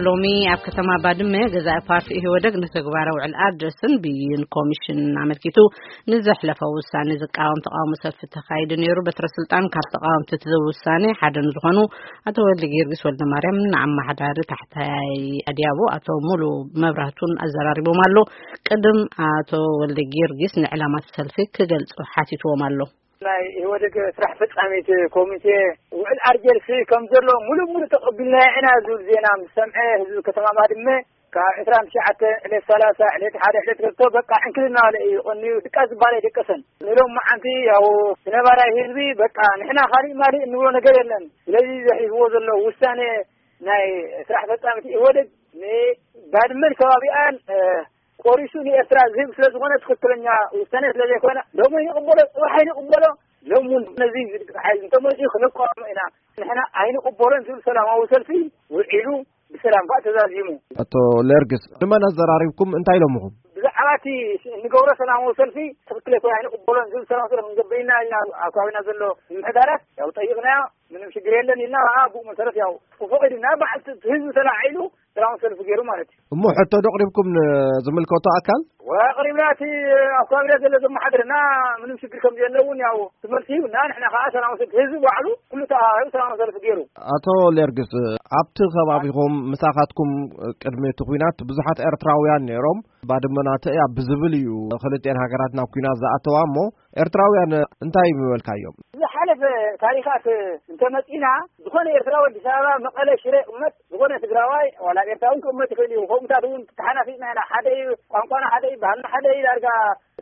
ሎሚ ኣብ ከተማ ባድመ ገዛኢ ፓርቲ ኢህወደግ ንተግባራዊ ውዕል ኣድረስን ብይን ኮሚሽን ኣመልኪቱ ንዘሕለፈ ውሳኔ ዝቃወም ተቃውሞ ሰልፊ ተኻይዱ ነይሩ። በትረ ስልጣን ካብ ተቃወምቲ እቲ ውሳኔ ሓደ ንዝኾኑ ኣቶ ወልደ ጊዮርጊስ ወልደ ማርያም ንኣመሓዳሪ ታሕታይ ኣድያቦ ኣቶ ሙሉ መብራህቱን ኣዘራሪቦም ኣሎ። ቅድም ኣቶ ወልደ ጊዮርጊስ ንዕላማት ሰልፊ ክገልጹ ሓቲትዎም ኣሎ። ናይ ኢህወደግ ስራሕ ፈጻሚት ኮሚቴ ውዕል ኣርጀርሲ ከም ዘሎ ሙሉእ ሙሉእ ተቐቢልና ኢና ዝብል ዜና ምስ ሰምዐ፣ ህዝቢ ከተማ ባድመ ካብ ዕስራን ትሽዓተ ዕለት ሰላሳ ዕለት ሓደ ዕለት ገብቶ በቃ ዕንክልና በለ እዩ። ቀንዩ ድቃስ ዝበሃል ኣይደቀሰን። ንሎም መዓንቲ ያው ነባራይ ህዝቢ በቃ ንሕና ካሊእ ማሊእ እንብሎ ነገር የለን። ስለዚ ዘሕልፍዎ ዘሎ ውሳኔ ናይ ስራሕ ፈጻሚት ኢህወደግ ንባድመን ከባቢኣን፣ እ፣ ቆሪሱ ንኤርትራ ዝህብ ስለ ዝኾነ ትኽክለኛ ውሳኔ ስለ ዘይኮነ ሎም ይቕበሎ፣ ጽባሕ ይቕበሎ። ሎም እውን ነዚ ሓይል እንተመፅኡ ክንቃወሞ ኢና። ንሕና ኣይንቕበሎን ዝብል ሰላማዊ ሰልፊ ውዒሉ ብሰላም ከዓ ተዛዚሙ። ኣቶ ሌርግስ ንመን ኣዘራሪብኩም? እንታይ ኢሎምኹም? ብዛዕባ እቲ እንገብሮ ሰላማዊ ሰልፊ ትኽክል ኣይኮነ ኣይንቕበሎን ዝብል ሰላማዊ ሰልፊ ክንገብር ኢና ኢልና ኣብ ከባቢና ዘሎ ምምሕዳራት ያው ጠይቕናዮ። ምንም ሽግር የለን ኢልና ከዓ ብኡ መሰረት ያው ተፈቒዱና በዓል ህዝቢ ተላዒሉ ሰላማዊ ሰልፊ ገይሩ ማለት እዩ። እሞ ሕቶ ዶ ኣቕሪብኩም ንዝምልከቶ ኣካል? ወ ኣቕሪብና እቲ ኣብ ከባቢና ዘሎ ዘመሓድርና ምንም ሽግር ከም ዘለውን ያው ትመልሲ ይብና። ንሕና ከዓ ሰላማዊ ሰልፊ ህዝቢ ባዕሉ ኩሉ ተኣኻኺቡ ሰላማዊ ሰልፊ ገይሩ። ኣቶ ሌርግስ ኣብቲ ከባቢኹም ምሳኻትኩም ቅድሚ እቲ ኲናት ብዙሓት ኤርትራውያን ነይሮም። ባድመ ናተይ እያ ብዝብል እዩ ክልቲኤን ሃገራት ናብ ኲናት ዝኣተዋ። እሞ ኤርትራውያን እንታይ ምበልካዮም? ዝሓለፈ ታሪኻት እንተመፂና ዝኾነ ኤርትራዊ ኣዲስ ኣበባ፣ መቐለ፣ ሽረ ይቕመጥ፣ ዝኾነ ትግራዋይ ዋላ ኤርትራዊ እውን ክቕመጥ ይኽእል እዩ። ከምኡታት እውን ተሓናፊፅና ኢና። ሓደ እዩ ቋንቋና፣ ሓደ እዩ ባህልና፣ ሓደ እዩ ዳርጋ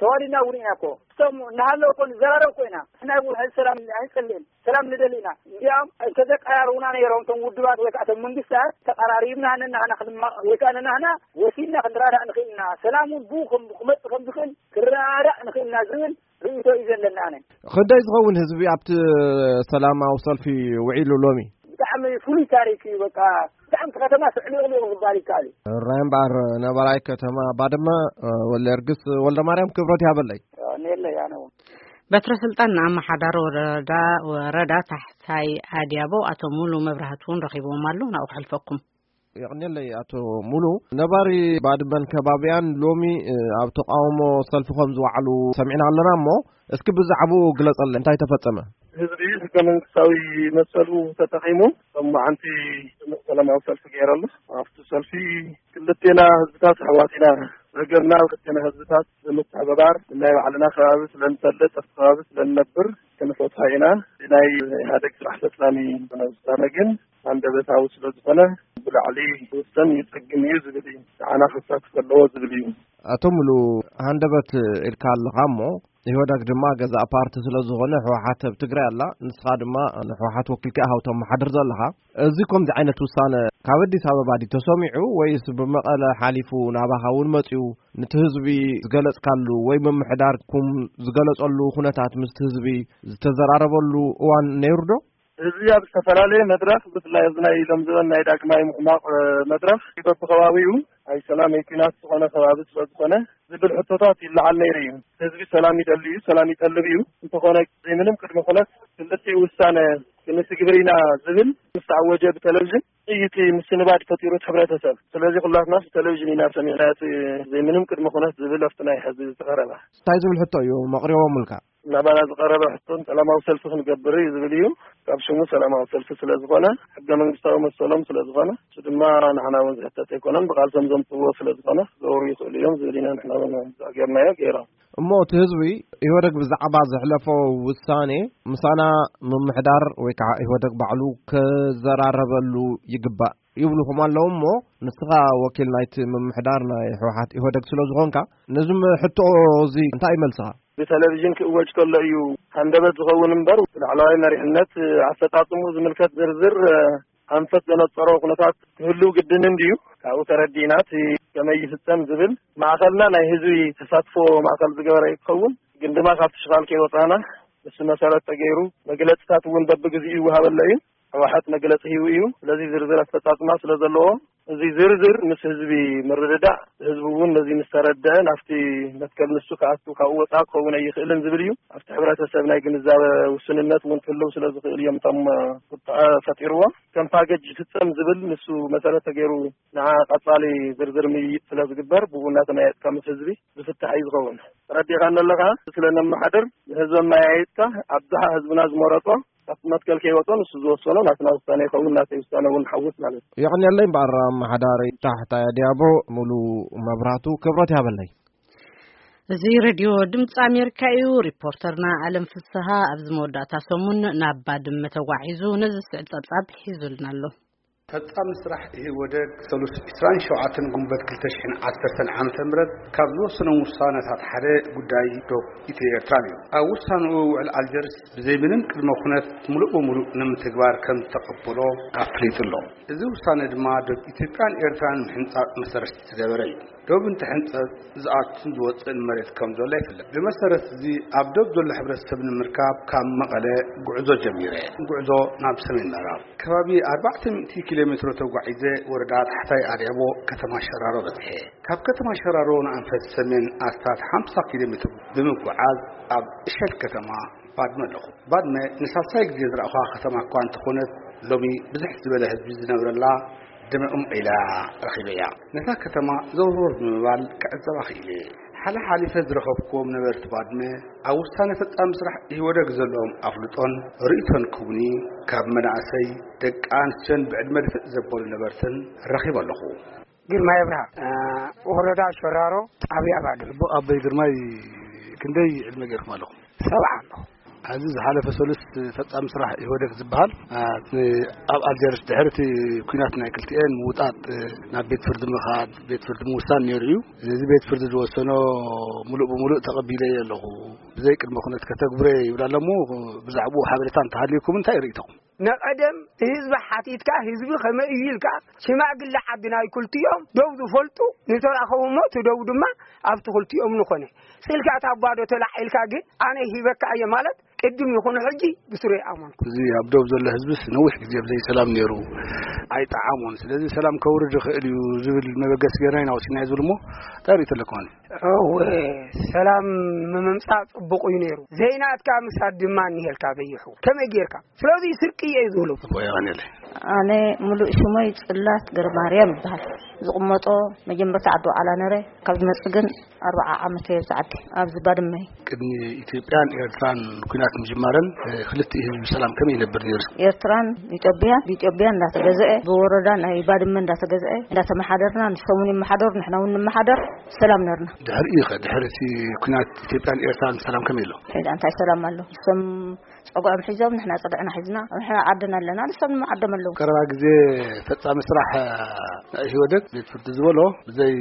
ተዋሊድና እውን ኢና እኮ። እቶም እናሃለዉ እኮ ንዘራረብ እኮ ኢና። ንሕና እውን ሕዚ ሰላም ኣይንጸልእን፣ ሰላም ንደሊ ኢና። እንዲያውም እንተዘቀራርቡና ነይሮም እቶም ውድባት ወይ ከዓ እቶም መንግስታት ተቀራሪብና ነናህና ክንማ-፣ ወይ ከዓ ነናህና ወሲድና ክንረዳዳእ ንኽእል ኢና። ሰላም እውን ብኡ ከም-፣ ክመጽእ ከም ዝኽእል ክረዳዳእ ንኽእል ኢና ዝብል ርእይቶ እዩ ዘለና ኣነ። ክንደይ ዝኸውን ህዝቢ ኣብቲ ሰላማዊ ሰልፊ ውዒሉ ሎሚ? ብጣዕሚ ፍሉይ ታሪክ እዩ። በቃ ብጣዕሚ እቲ ከተማ ስዕሊቕሊቕ ዝበሃል ይከኣል እዩ። ራይ እምበኣር ነባራይ ከተማ ባድመ፣ እ፣ ወልደየርግስ ወልደማርያም ክብረት ይሃበለይ። የቐንየለይ ኣነ እውን። በትረ ስልጣን ንኣመሓዳሪ ወረዳ፣ ወረዳ ታሕታይ ኣድያቦ ኣቶ ሙሉ መብራህቱ እውን ረኺብዎም ኣሎ። ናብኡ ክሕልፈኩም። የቕንየለይ ኣቶ ሙሉ። ነባሪ ባድመን ከባቢያን ሎሚ፣ እ፣ ኣብ ተቃውሞ ሰልፊ ከም ዝወዓሉ ሰሚዕና ኣለና እሞ፣ እስኪ ብዛዕባኡ ግለጸለይ፣ እንታይ ተፈጸመ? ህዝቢ ህገ መንግስታዊ መሰሉ ተጠቒሙ፣ ሎማዓንቲ ድሙቕ ሰላማዊ ሰልፊ ገይሩ ኣሎ። ኣብቲ ሰልፊ ክልቴና ህዝብታት ኣሕዋት ኢና። ሃገርና ክልቴና ህዝብታት ብምትሕብባር ናይ ባዕልና ከባቢ ስለ ንፈልጥ፣ ኣብቲ ከባቢ ስለ ንነብር ክንፈትሖ ኢና። ናይ ኢህኣዴግ ስራሕ ፈጻሚ ዝኾነ ውሳነ ግን ሃንደበታዊ ስለ ዝኾነ ብላዕሊ ክውሰን ይጸግም እዩ ዝብል እዩ። ንዓና ክሳተፍ ኣለዎ ዝብል እዩ። ኣቶ ሙሉ፣ ሃንደበት ኢልካ ኣለኻ እሞ፣ ኢህወደግ ድማ ገዛእ ፓርቲ ስለ ዝኾነ፣ ህወሓት ኣብ ትግራይ ኣላ፣ ንስኻ ድማ ንህወሓት ወኪልካ ኢኻ ተመሓድር ዘለኻ። እዚ ከምዚ ዓይነት ውሳነ ካብ ኣዲስ ኣበባ ድዩ ተሰሚዑ ወይስ ብመቐለ ሓሊፉ ናባኻ እውን መፂኡ? ነቲ ህዝቢ ዝገለፅካሉ ወይ ምምሕዳርኩም ዝገለፀሉ ኩነታት ምስቲ ህዝቢ ዝተዘራረበሉ እዋን ነይሩ ዶ? ህዝቢ ኣብ ዝተፈላለየ መድረኽ፣ ብፍላይ ኣብዚ ናይ ኢሎም ዝበል ናይ ዳግማይ ምሕማቕ፣ እ፣ መድረኽ በብከባቢኡ ናይ ሰላም ወይ ኲናት ዝኾነ ከባቢ ስለ ዝኾነ ዝብል ሕቶታት ይለዓል ነይሩ እዩ። ህዝቢ ሰላም ይደሊ እዩ፣ ሰላም ይጠልብ እዩ። እንተኾነ ዘይምንም ቅድመ ኩነት ክልቲኡ ውሳነ ክንትግብር ኢና ዝብል ምስ ተኣወጀ ብቴሌቪዥን ጥይት ምስንባድ ፈጢሩ እቲ ሕብረተሰብ። ስለዚ ኩላትና ብቴሌቪዥን ኢና ሰሚዕና እቲ ዘይምንም ቅድመ ኩነት ዝብል ኣብቲ ናይ ሕዚ ዝተቐረበ። እንታይ ዝብል ሕቶ እዩ መቕሪቦምልካ? ናባና ዝቐረበ ሕቶን ሰላማዊ ሰልፊ ክንገብር እዩ ዝብል እዩ። ካብ ሽሙ ሰላማዊ ሰልፊ ስለ ዝኾነ፣ ሕገ መንግስታዊ መሰሎም ስለ ዝኾነ፣ እሱ ድማ ንሕና እውን ዝሕተት ኣይኮነን፣ ብቓልሶም ዘምፅዎ ስለ ዝኾነ ክገብሩ ይኽእሉ እዮም ዝብል ኢና ንሕና እውን ጌርናዮ፣ ገይሮም። እሞ እቲ ህዝቢ ኢህወደግ ብዛዕባ ዘሕለፎ ውሳኔ ምሳና ምምሕዳር ወይ ከዓ ኢህወደግ ባዕሉ ክዘራረበሉ ይግባእ ይብሉኹም ኣለዉ። እሞ ንስኻ ወኪል ናይቲ ምምሕዳር ናይ ህወሓት ኢህወደግ ስለ ዝኾንካ፣ ነዚ ሕቶ እዚ እንታይ ይመልስኻ? ብቴሌቪዥን ክእወጅ ከሎ እዩ ሃንደበት ዝኸውን እምበር፣ ላዕለዋይ መሪሕነት ኣፈጻጽምኡ ዝምልከት ዝርዝር፣ እ፣ ኣንፈት ዘነጸሮ ኩነታት ክህልው ግድን እንድዩ። ካብኡ ተረዲእና እቲ ከመይ ይፍጸም ዝብል ማእኸልና ናይ ህዝቢ ተሳትፎ ማእኸል ዝገበረ እዩ ክኸውን። ግን ድማ ካብቲ ሽኻል ከይወጻና፣ ንሱ መሰረት ተገይሩ መግለጽታት እውን በብግዜኡ ይወሃበሎ እዩ። ህወሓት መግለጺ ሂቡ እዩ። ስለዚ ዝርዝር ኣፈጻጽማ ስለ ዘለዎ እዚ ዝርዝር ምስ ህዝቢ ምርድዳእ፣ ህዝቢ እውን ነዚ ምስ ተረድአ ናብቲ መትከል ንሱ ክኣቱ፣ ካብኡ ወፃእ ክኸውን ኣይኽእልን ዝብል እዩ። ኣብቲ ሕብረተሰብ ናይ ግንዛበ ውስንነት እውን ክህልው ስለ ዝኽእል እዮም እቶም ቁጥዐ ፈጢርዎም። ከም ፓኬጅ ይፍፀም ዝብል ንሱ መሰረት ተገይሩ ንዓ ቀፃሊ ዝርዝር ምይይጥ ስለ ዝግበር፣ ብኡ እናተመያየጥካ ምስ ህዝቢ ዝፍታሕ እዩ ዝኸውን። ተረዲኻ ኣለኻ? ስለ ነመሓድር ንህዝቢ ኣመያየጥካ፣ ኣብዝሓ ህዝብና ዝመረጦ ኣብቲ መትከል ከይወጾ ንሱ ዝወሰኖ ናትና ውሳነ ይኸውን፣ ናተይ ውሳነ እውን ሓውስ ማለት እዩ። የቐንየለይ እምበኣር ኣመሓዳሪ ታሕታይ ኣድያቦ ሙሉ መብራቱ ክብረት ያበለይ። እዚ ሬድዮ ድምፂ ኣሜሪካ እዩ። ሪፖርተርና ኣለም ፍስሃ ኣብዚ መወዳእታ ሰሙን ናብ ባድመ ተጓዒዙ ነዚ ስዕድ ጸብጻብ ሒዙልና ኣሎ። ፈጻሚ ስራሕ ኢህወደግ ሰሉስ ዕስራን ሸውዓተን ጉንበት ክልተ ሽሕን ዓሰርተን ዓመተ ምህረት ካብ ዝወሰኖም ውሳነታት ሓደ ጉዳይ ዶብ ኢትዮ ኤርትራ እዩ። ኣብ ውሳንኡ ውዕል ኣልጀርስ ብዘይ ምንም ቅድመ ኩነት ምሉእ ብምሉእ ንምትግባር ከም ዝተቐበሎ ኣፍሊጡ ኣሎ። እዚ ውሳነ ድማ ዶብ ኢትዮጵያን ኤርትራን ምሕንጻጽ መሰረት ዝተገበረ እዩ። ዶብ እንትሕንጸጽ ዝኣቱን ዝወጽእን መሬት ከም ዘሎ ይፍለጥ። ብመሰረት እዚ ኣብ ዶብ ዘሎ ሕብረተሰብ ንምርካብ ካብ መቐለ ጉዕዞ ጀሚረ። ጉዕዞ ናብ ሰሜን ምዕራብ ከባቢ ኣርባዕተ ሚእቲ ኪሎ ሜትሮ ተጓዒዘ ወረዳ ታሕታይ ኣድያቦ ከተማ ሸራሮ በጽሐ። ካብ ከተማ ሸራሮ ንኣንፈት ሰሜን ኣስታት ሓምሳ ኪሎ ሜትሮ ብምጉዓዝ ኣብ እሸል ከተማ ባድመ ኣለኹ። ባድመ ንሳልሳይ ግዜ ዝረኣኹዋ ከተማ እኳ እንተኾነት፣ ሎሚ ብዝሕ ዝበለ ህዝቢ ዝነብረላ ድምዕ ኢላ ረኺበያ። ነታ ከተማ ዘውርወር ብምባል ክዕዘባ ክኢለ። ሓለ ሓሊፈ ዝረኸብኩዎም ነበርቲ ባድመ ኣብ ውሳነ ፈጻሚ ስራሕ ኢህወደግ ዘለዎም ኣፍልጦን ርእይቶን ክቡኒ ካብ መናእሰይ፣ ደቂ ኣንስትዮን ብዕድመ ድፍእ ዘበሉ ነበርትን ረኺበ ኣለኹ። ግርማይ ኣብርሃ፣ እ፣ ወረዳ ሸራሮ፣ ጣብያ ባድመ። ኣቦ ኣቦይ ግርማይ ክንደይ ዕድመ ገይርኩም ኣለኹም? ሰብዓ ኣለኹ። ኣብዚ ዝሓለፈ ሰሉስ ፈጻሚ ስራሕ ኢህወደግ ዝበሃል፣ እ፣ ኣብ ኣልጀርስ ድሕሪ እቲ ኲናት ናይ ክልቲኤን ምውጣጥ፣ እ፣ ናብ ቤት ፍርዲ ምኻድ፣ ቤት ፍርዲ ምውሳን ነይሩ እዩ። እዚ ቤት ፍርዲ ዝወሰኖ ሙሉእ ብሙሉእ ተቐቢለዮ ኣለኹ። ብዘይ ቅድመ ኩነት ከተግብረ ይብል ኣሎ እሞ ብዛዕባኡ ሓበሬታ እንተሃልዩኩም እንታይ ርእይቶኹም? ንቐደም ህዝቢ ሓቲትካ፣ ህዝቢ ከመይ እዩ ኢልካ፣ ሽማግለ ዓዲ ናይ ክልቲኦም ደው ዝፈልጡ ንተራኸቡ እሞ፣ እቲ ደው ድማ ኣብቲ ክልቲኦም ንኾነ። ስኢልካ እታ ጓዶ ተላዒልካ ግን፣ ኣነ ሂበካ እየ ማለት፣ ቅድም ይኹን ሕጂ ብስሩ ይኣመንኩ። እዚ ኣብ ደቡብ ዘሎ ህዝብስ ነዊሕ ግዜ ብዘይ ሰላም ነይሩ፣ ኣይጠዓሞን። ስለዚ ሰላም ከውርድ ይኽእል እዩ ዝብል መበገሲ ጌርና ኢና ወሲድና እዩ ዝብል እሞ፣ እንታይ ርእይቶ ኣለኩም? እወ፣ ሰላም ምምጻእ ጽቡቕ እዩ ነይሩ። ዘይናትካ ምሳድ ድማ እኒሄልካ በይሑ። ከመይ ጌርካ? ስለዚ ስርቂ እየ ዝብሎ። እኮ የቐንየለይ። ኣነ ሙሉእ ሽመይ ጽላት ገረማርያም ይበሃል። ዝቕመጦ መጀመርታ ዓዲ ዋዕላ ነረ። ካብ ዝመጽእ ግን ኣርባዓ ዓመት እየ ኣብዚ ዓዲ፣ ኣብዚ ባድመ። ቅድሚ ኢትዮጵያን ኤርትራን ኲናት ምጅማረን፣ እ፣ ክልቲኡ ህዝቢ ሰላም ከመይ ይነብር ነይሩ? ኤርትራን ኢትዮጵያን፣ ብኢትዮጵያ እንዳተገዝአ፣ ብወረዳ ናይ ባድመ እንዳተገዝአ፣ እንዳተመሓደርና፣ ንሶም እውን ይመሓደሩ፣ ንሕና እውን ንመሓደር፣ ሰላም ነርና። ድሕሪኡ ኸ፣ ድሕሪ እቲ ኲናት ኢትዮጵያን ኤርትራን ሰላም ከመይ ኣሎ? ሕዚ እንታይ ሰላም ኣሎ? ንሶም ጸግዖም ሒዞም፣ ንሕና ጸግዕና ሒዝና፣ ንሕና ዓድና ኣለና፣ ንሶም ድማ ዓዶም ኣለዉ። ቀረባ ግዜ ፈጻሚ ስራሕ ናይ ኢህወደግ ቤት ፍርዲ ዝበሎ ብዘይ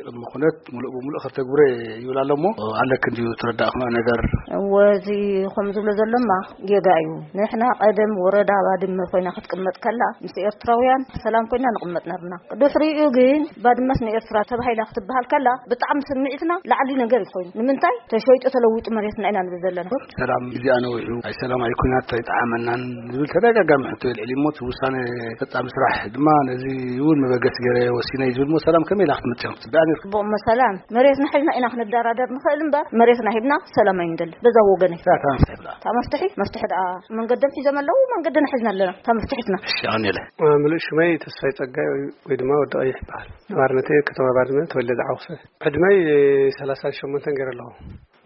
ቅድመ ኩነት ሙሉእ ብሙሉእ ከተግብሮ ይብል ኣሎ እሞ፣ ኣለክ እንድዩ ተረዳእክኖ ነገር? እወ፣ እዚ ከም ዝብሎ ዘሎማ ጌጋ እዩ። ንሕና ቀደም ወረዳ ባድመ ኮይና ክትቅመጥ ከላ፣ ምስ ኤርትራውያን ሰላም ኮይና ንቕመጥ ነርና። ድሕሪኡ ግን ባድመስ ንኤርትራ ተባሂላ ክትበሃል ከላ፣ ብጣዕሚ ስምዒትና ላዕሊ ነገር እዩ ኮይኑ። ንምንታይ? ተሸይጡ ተለዊጡ መሬትና ኢና ንብል ዘለና። ሰላም እዚኣ ነዊሑ፣ ኣይ ሰላም ኣይ ኩናት ኣይጠዓመናን ዝብል ተደጋጋሚ ሕቶ የልዕል እሞ፣ እቲ ውሳነ ፈጻሚ ስራሕ ድማ ነዚ እውን መበገሲ ገይረ ወሲነ እዩ ዝብል እሞ፣ ሰላም ከመይ ኢላ ክትመጽእ ክትጽበያ ነይርካ? ጽቡቕ እሞ ሰላም መሬትና ሒዝና ኢና ክንደራደር ንኽእል እምበር፣ መሬትና ሂብና ሰላም ኣይንደልን። በዛ ወገነይ። እታ መፍትሒ ብላ። እታ መፍትሒ፣ መፍትሒ ደኣ መንገዶም ሒዞም ኣለዉ፣ መንገድና ሒዝና ኣለና። እታ መፍትሒትና። እሺ፣ ኣነ ኢለ። ምሉእ ሽመይ ተስፋይ ጸጋይ ወይ፣ ወይ ድማ ወዲ ቀይሕ ይበሃል። ነባርነተይ ከተማ ባድመ ተወልደ ዝዓወሰ። ዕድመይ ሰላሳን ሸሞንተን ገይረ ኣለኹ።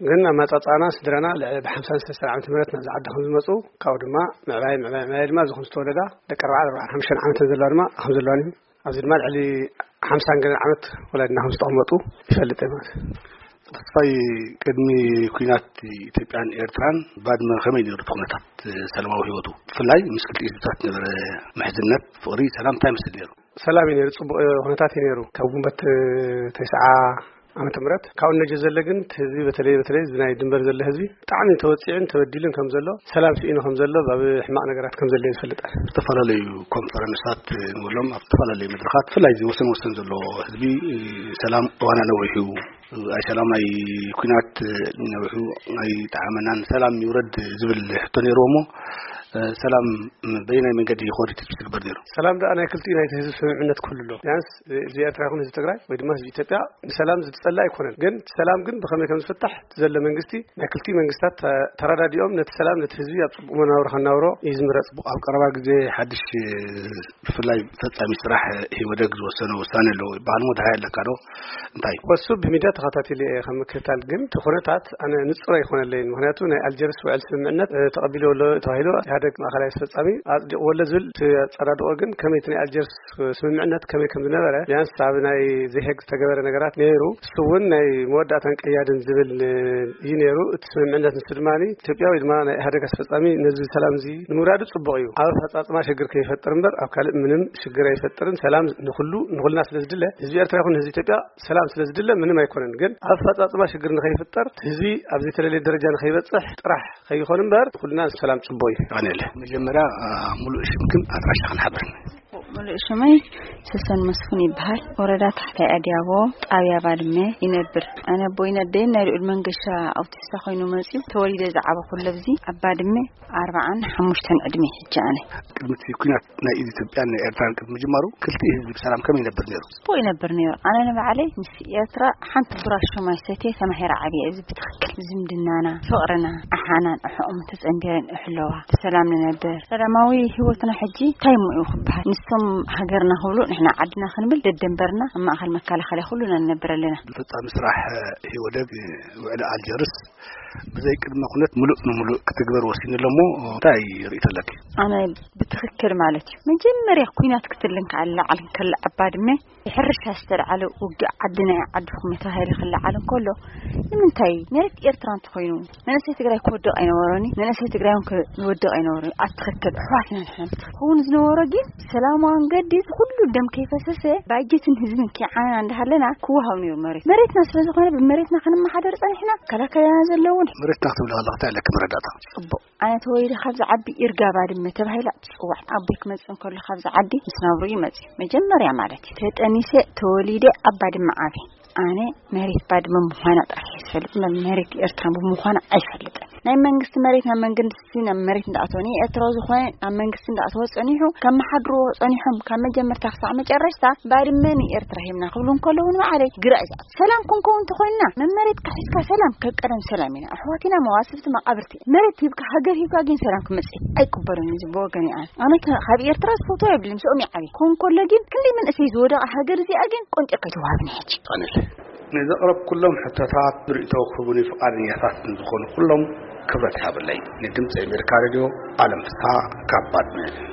ግን ኣመጻጽኣና ስድራና ልዕሊ ብሓምሳን ሰለስተን ዓመተ ምህረት ናብዚ ዓዲ ከም ዝመጹ፣ ካብኡ ድማ ምዕባይ፣ ምዕባይ፣ ምዕባይ ድማ እዚ ከም ዝተወለዳ ደቂ ኣርባዓን ኣርባዓን ሓሙሽተን ዓመት ዘለዋ ድማ ከም ዘለዋን እዩ። ኣብዚ ድማ ልዕሊ ሓምሳን ገለን ዓመት ወላዲና ከም ዝተቐመጡ ይፈልጥ እየ ማለት እዩ። ተስፋይ፣ ቅድሚ ኲናት ኢትዮጵያን ኤርትራን ባድመ ከመይ ነይሩ እቲ ኩነታት ሰላማዊ ህይወቱ? ብፍላይ ምስ ክልቲኡ ህዝብታት ነበረ ምሕዝነት፣ ፍቕሪ፣ ሰላም እንታይ ይመስል ነይሩ? ሰላም እዩ ነይሩ፣ ጽቡቕ ኩነታት እዩ ነይሩ። ካብ ግንቦት ተስዓ ዓመተ ምህረት ካብኡ ነጀ ዘለ ግን እቲ ህዝቢ በተለይ፣ በተለይ እዚ ናይ ድንበር ዘለ ህዝቢ ብጣዕሚ ተወጺዑን ተበዲሉን ከም ዘሎ፣ ሰላም ስኢኑ ከም ዘሎ፣ ኣብ ሕማቕ ነገራት ከም ዘሎ እዩ ዝፈልጥ። ዝተፈላለዩ ኮንፈረንሳት ንብሎም ኣብ ዝተፈላለዩ መድረኻት ብፍላይ እዚ ወሰን ወሰን ዘሎ ህዝቢ ሰላም እዋና ነዊሑ፣ ኣይ ሰላም ኣይ ኲናት ነዊሑ ኣይጠዓመናን፣ ሰላም ይውረድ ዝብል ሕቶ ነይርዎ እሞ፣ ሰላም በየናይ መንገዲ ይኾድ ትግበር ነይሩ? ሰላም ደኣ ናይ ክልቲኡ ናይቲ ህዝቢ ስምምዕነት ክህሉ ኣለዎ። ቢያንስ ህዝቢ ኤርትራ ይኹን ህዝቢ ትግራይ ወይ ድማ ህዝቢ ኢትዮጵያ ንሰላም ዝጸልእ ኣይኮነን። ግን ሰላም ግን ብኸመይ ከም ዝፍታሕ እቲ ዘሎ መንግስቲ ናይ ክልቲኡ መንግስታት ተ-፣ ተረዳዲኦም ነቲ ሰላም ነቲ ህዝቢ ኣብ ጽቡቕ መናብሮ ከናብሮ እዩ ዝምረጽ። ኣብ ቀረባ ግዜ ሓድሽ ብፍላይ ፈጻሚ ስራሕ ኢህወደግ ዝወሰነ ውሳኔ ኣለዎ ይበሃል። ሞ ድሃይ ኣለካ ዶ? እንታይ? ወሱ ብሚድያ ተኸታቲለ እየ ከም ምክትታል፣ ግን እቲ ኩነታት ኣነ ንጹር ኣይኮነለይን። ምክንያቱ ናይ ኣልጀርስ ውዕል ስምምዕነት፣ እ፣ ተቐቢልዎ ኣሎ ተባሂሉ ኢህኣደግ ማእከላይ ኣስፈጻሚ ኣጽዲቕዎ ኣሎ ዝብል እቲ ኣጸዳድቆ ግን ከመይ እቲ ናይ ኣልጀርስ ስምምዕነት ከመይ ከም ዝነበረ ቢያንስ ኣብ ናይ ዘሄግ ዝተገበረ ነገራት ነይሩ። እሱ እውን ናይ መወዳእታን ቀያድን ዝብል እዩ ነይሩ። እቲ ስምምዕነት ንሱ ድማ ኢትዮጵያ ወይ ድማ ናይ ኢህኣደግ ኣስፈጻሚ ነዚ ሰላም እዚ ንምውራዱ ጽቡቕ እዩ። ኣብ ኣፈጻጽማ ሽግር ከይፈጥር እምበር ኣብ ካልእ ምንም ሽግር ኣይፈጥርን። ሰላም ንኹሉ ንኹልና ስለ ዝድለ ህዝቢ ኤርትራ ይኹን ህዝቢ ኢትዮጵያ ሰላም ስለ ዝድለ ምንም ኣይኮነን። ግን ኣብ ኣፈጻጽማ ሽግር ንኸይፍጠር ህዝቢ ኣብ ዝተለለየ ደረጃ ንኸይበጽሕ ጥራሕ ከይኾን እምበር ኩልና ሰላም ጽቡቕ እዩ። ኣነለ መጀመርያ፣ አ፣ ሙሉእ ሽምክን ኣድራሻኽን ሓብርን። ሙሉእ ሽመይ ሰሰን መስፍን ይበሃል። ወረዳ ታሕታይ ኣድያቦ፣ ጣብያ ባድመ ይነብር። ኣነ ኣቦይን ኣደይን ናይ ልዑል መንገሻ ኣውቲስታ ኮይኑ መጺኡ። ተወሊደ ዝዓበኹ ኣብዚ ኣብ ባድመ ኣርባዓን ሓሙሽተን ዕድሜ ሕጂ ኣነ። ቅድሚ እቲ ኩናት ናይ ኢትዮጵያን ናይ ኤርትራን ቅድሚ ምጅማሩ ክልቲኡ ህዝቢ ብሰላም ከመይ ይነብር ነይሩ? ጽቡቕ ይነብር ነይሩ። ኣነ ንባዕለይ ምስ ኤርትራ ሓንቲ ብራሽ ማይ ሰትየ ተማሂረ ዓብየ። እዚ ብትኽክል ዝምድናና፣ ፍቕርና፣ ኣሓናን ኣሕኦም ተጸንቢረን ይሕለዋ፣ ብሰላም ንነብር። ሰላማዊ ህይወትና ሕጂ እንታይ እሞ እዩ ክበሃል? ንሶም ሃገርና ክብሉ ንሕና ዓድና ክንብል ደደንበርና ኣብ ማእከል መከላኸሊ ኩሉና ንነብር ኣለና። ፈጻሚ ስራሕ ህወደግ ውዕሊ ኣልጀርስ ብዘይ ቅድመ ኩነት ምሉእ ንምሉእ ክትግበር ወሲኑ ኣሎ እሞ እንታይ ርእይቶ ኣለኪ? ኣነ ብትኽክል ማለት እዩ። መጀመርያ ኩናት ክትልን ከኣላ ዓለም ከላ ኣብ ባድመ ብሕርሻ ዝተልዓለ ውግእ ዓዲ ናይ ዓድኹም ተባሂሉ ክለዓል እንከሎ፣ ንምንታይ መሬት ኤርትራ እንተኾይኑ መንእሰይ ትግራይ ክወድቕ ኣይነበሮን እዩ? መንእሰይ ትግራይ እውን ክወድቕ ኣይነበሮን እዩ? ኣብ ትኽክል ኣሕዋትና ንሕና ብትኽክል ክኸውን ዝነበሮ ግን ሰላማዊ መንገዲ እዚ ኩሉ ደም ከይፈሰሰ ባጀትን ህዝብን ከይዓነና እንዳሃለና ክወሃብ ነይሩ መሬት። መሬትና ስለ ዝኾነ ብመሬትና ክንመሓደር ጸኒሕና፣ ከላከለና ዘለውን መሬትና ክትብል ከለኻ እንታይ ኣለኪ መረዳእታ? ጽቡቕ። ኣነ ተወሊደ ካብዚ ዓዲ ይርጋ ባድመ ተባሂላ ትጽዋዕ። ኣቦይ ክመጽእ እንከሎ ካብዚ ዓዲ ምስ ናብሩ ይመጽእ። መጀመርያ ማለት እዩ። ተጠኒሰ ተወሊደ ኣብ ባድመ ዓብየ። ኣነ መሬት ባድመ ምዃና ጥራሕ እየ ዝፈልጥ፣ እምበር መሬት ኤርትራ ብምዃና ኣይፈልጥን። ናይ መንግስቲ መሬት ናብ መንግስቲ ናብ መሬት እንዳኣተወ ንኤርትራዊ ዝኾነ ናብ መንግስቲ እንዳኣተወ ጸኒሑ ካብ መሓድርዎ ጸኒሖም ካብ መጀመርታ ክሳዕ መጨረሽታ ባድመ ንኤርትራ ሂብና ክብሉ እንከለዉ ንባዕለይ ግራ እዩ ዝኣቱ። ሰላም ክንከውን እንተኾይንና መመሬትካ ሒዝካ ሰላም ከቀደም ሰላም ኢና። ኣሕዋት ኢና፣ መዋስብቲ መቓብርቲ። መሬት ሂብካ፣ ሃገር ሂብካ ግን ሰላም ክመጽእ ኣይቅበሎን እዚ ብወገን እየ። ኣነ፣ ኣነ ከ-፣ ካብ ኤርትራ ዝፈትዎ የብለይን፣ ምስኦም ይዓብየ። ክኸውን ከሎ ግን ክንደይ መንእሰይ ዝወደቐ ሃገር እዚኣ ግን ቆንጢርካ ኣይትወሃብን እያ ሕጂ። ኣነለ ንዘቕረብኩሎም ሕቶታት ርእይቶ ክህቡኒ ፍቓደኛታት ንዝኾኑ ኩሎም ክብረት ይሃበለይ። ንድምፂ ኣሜሪካ ሬድዮ ኣለም ፍስሓ ካብ ባድመ።